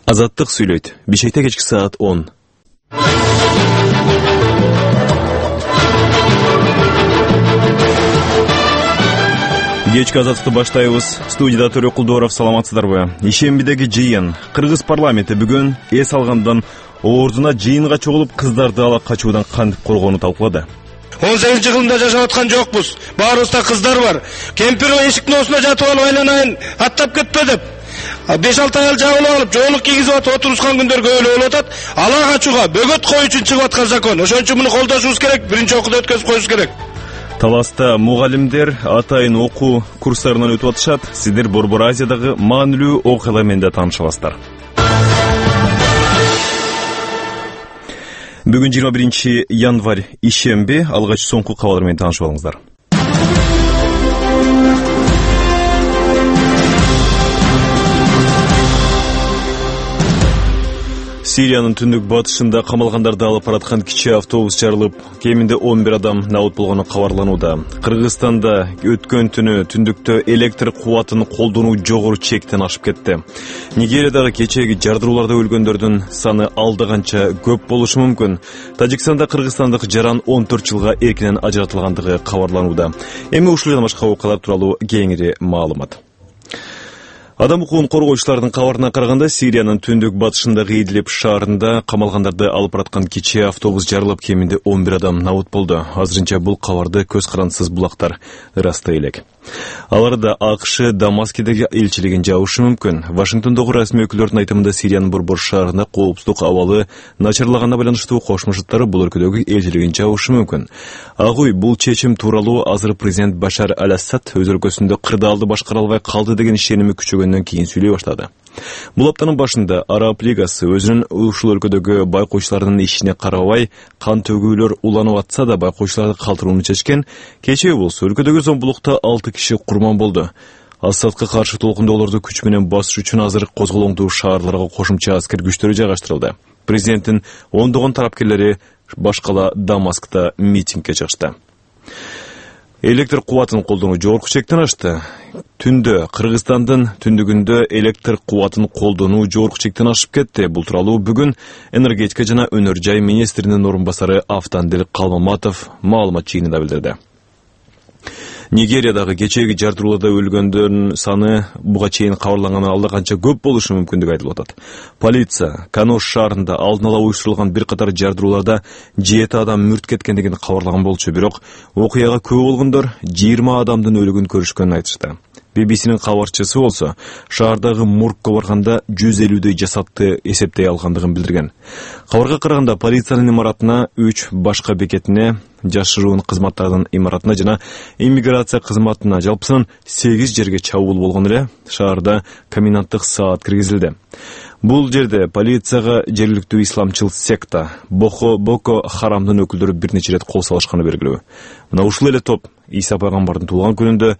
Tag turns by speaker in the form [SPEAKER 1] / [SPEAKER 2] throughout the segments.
[SPEAKER 1] Азаттык сүйлөйт. Бишкекте кечки саат 10. Кечки азаттыкты баштайбыз. Студияда Төрө Кулдууров, саламатсыздарбы? Ишембидеги жыйын. Кыргыз парламенти бүгүн эс алгандан ордуна жыйынга чогулуп кыздарды ала качуудан кантип коргоону талкуулады.
[SPEAKER 2] 18-жылында жашап аткан жокпуз. Баарыбызда кыздар бар. Кемпир эшиктин оосуна жатып алып айланайын аттап кетпе деп 5-6 аял жабылып алып, жоолук кийгизип атып отурушкан күндөргө өлө болуп атат. Ала качууга бөгөт коюу үчүн чыгып аткан закон. Ошон үчүн муну колдошубуз керек, биринчи окууда өткөзүп коюшубуз керек.
[SPEAKER 1] Таласта мугалимдер атайын окуу курстарынан өтүп атышат. Сиздер Борбор Азиядагы маанилүү окуялар менен да тааныша аласыздар. Бүгүн 21 январь ишемби, алгач соңку кабарлар менен таанышып алыңыздар. Сириянын түндүк батышында камалгандарды алып бараткан кичи автобус жарылып, кеминде 11 адам набыт болгону кабарланууда. Кыргызстанда өткөн түнү түндүктө электр кубатын колдонуу жогору чектен ашып кетти. Нигериядагы кечээги жардырууларда өлгөндөрдүн саны алда канча көп болушу мүмкүн. Тажикстанда кыргызстандык жаран 14 жылга эркинен ажыратылгандыгы кабарланууда. Эми ушул жана башка окуялар тууралуу кеңири маалымат. Адам укугун коргоочулардын кабарына караганда, Сириянын түндүк батышындагы Идлиб шаарында камалгандарды алып бараткан кичи автобус жарылып, кеминде 11 адам набыт болду. Азырынча бул кабарды көз карандысыз булактар ырастай элек. Аларда АКШ Дамаскидеги элчилигин жабышы мүмкүн. Вашингтондогу расмий өкүлдөрдүн айтымында Сириянын борбор шаарында коопсуздук абалы начарлаганына байланыштуу кошмо Штаттар бул өлкөдөгү элчилигин жабышы мүмкүн. Агуй бул чечим тууралуу азыр президент Башар аль-Асад өз өлкөсүндө кырдаалды башкара албай калды деген ишеними күчөгөндөн кийин сүйлөй баштады. Бул аптанын башында Араб лигасы өзүнүн ушул өлкөдөгү байкоочулардын ишине карабай кан төгүүлөр уланып атса да байкоочуларды калтырууну чечкен. Кечээ болсо өлкөдөгү зомбулукта 6 киши курман болду. Асадка каршы толкундоолорду күч менен басыш үчүн азыр козголоңдуу шаарларга кошумча аскер күчтөрү жайгаштырылды. Президенттин ондогон тарапкерлери башкала Дамаскта митингге чыгышты. Электр кубатын колдонуу жогорку чектен ашты. Түндө Кыргызстандын түндүгүндө электр кубатын колдонуу жогорку чектен ашып кетти. Бул тууралуу бүгүн энергетика жана өнөр жай министринин орун басары Автандил Калмаматов маалымат жыйынында билдирди. Нигериядагы кечээги жардырууларда өлгөндөрдүн саны буга чейин кабарлангандан алда канча көп болушу мүмкүндүгү айтылып атат. Полиция Канош шаарында алдын ала уюштурулган бир катар жардырууларда 7 адам мүрт кеткендигин кабарлаган болчу, бирок окуяга күбө болгондор 20 адамдын өлүгүн көрүшкөнүн айтышты. BBC-нин кабарчысы болсо, шаардагы моргко барганда 150дөй жасатты эсептей алгандыгын билдирген. Кабарга караганда полициянын имаратына, 3 башка бекетине, жашыруун кызматтардын имаратына жана иммиграция кызматына жалпысынан 8 жерге чабуул болгон эле шаарда коменданттык саат киргизилди. Бул жерде полицияга жергиликтүү исламчыл секта Боко Харамдын өкүлдөрү бир нече рет кол салышканы белгилүү. Мына ушул эле топ Иса пайгамбардын туулган күнүндө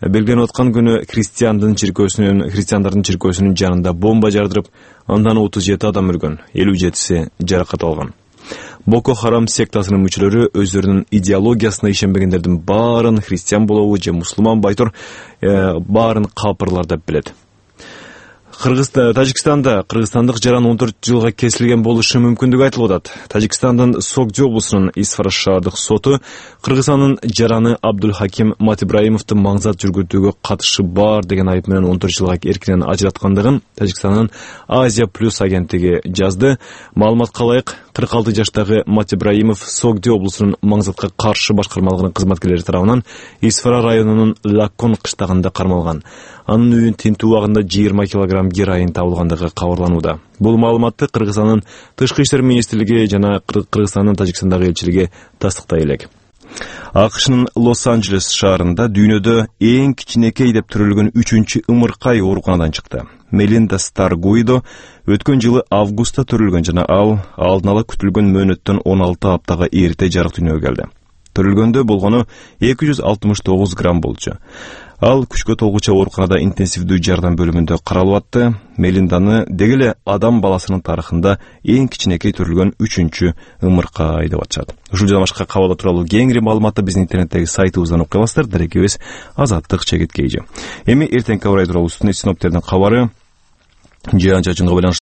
[SPEAKER 1] белгиленип аткан күнү христиандардын чиркөөсүнүн жанында бомба жардырып, андан 37 адам өлгөн, 57си жаракат алган. Боко Харам сектасынын мүчөлөрү өздөрүнүн идеологиясына ишенбегендердин баарын христиан болобу же мусулман байтур баарын капырлар деп билет. Тажикстанда кыргызстандык жаран 14 жылга кесилген болушу мүмкүндүгү айтылып атат. Тажикстандын Согди облусунун Исфара шаардык соту Кыргызстандын жараны Абдулхаким Матибраимовду маңзат жүргүзүүгө катышы бар деген айып менен 14 жылга эркинен ажыраткандыгын Тажикстандын Азия Плюс агенттиги жазды. Маалыматка ылайык, 46 жаштагы Матибраимов Согди облусунун маңзатка каршы башкармалыгынын кызматкерлери тарабынан Исфара районунун Лаккон кыштагында кармалган. Анын үйүн тинтүү убагында 20 килограмм героин табылгандыгы кабарланууда. Бул маалыматты Кыргызстандын Тышкы иштер министрлиги жана Кыргызстандын Тажикстандагы элчилиги тастыктай элек. АКШнын Лос-Анджелес шаарында дүйнөдө эң кичинекей деп төрөлгөн 3-чү ымыркай ооруканадан чыкты. Мелинда Старгуидо өткөн жылы августта төрөлгөн жана ал алдын ала күтүлгөн мөөнөттөн 16 аптага эрте жарык дүйнөгө келди. Төрөлгөндө болгону 269 грамм болчу. Ал күчкө толгуча ооруканада интенсивдүү жардам бөлүмүндө каралып атты. Мелинданы дегеле адам баласынын тарыхында эң кичинекей төрөлгөн 3-чү ымыркай деп атышат. Ушул жана башка кабарлар тууралуу кеңири маалыматты биздин интернеттеги сайтыбыздан окуй аласыздар. Дарегибиз Азаттык ЧГТ. Эми эртеңки абар тууралуу синоптердин кабары жаан-чачынга байланыштуу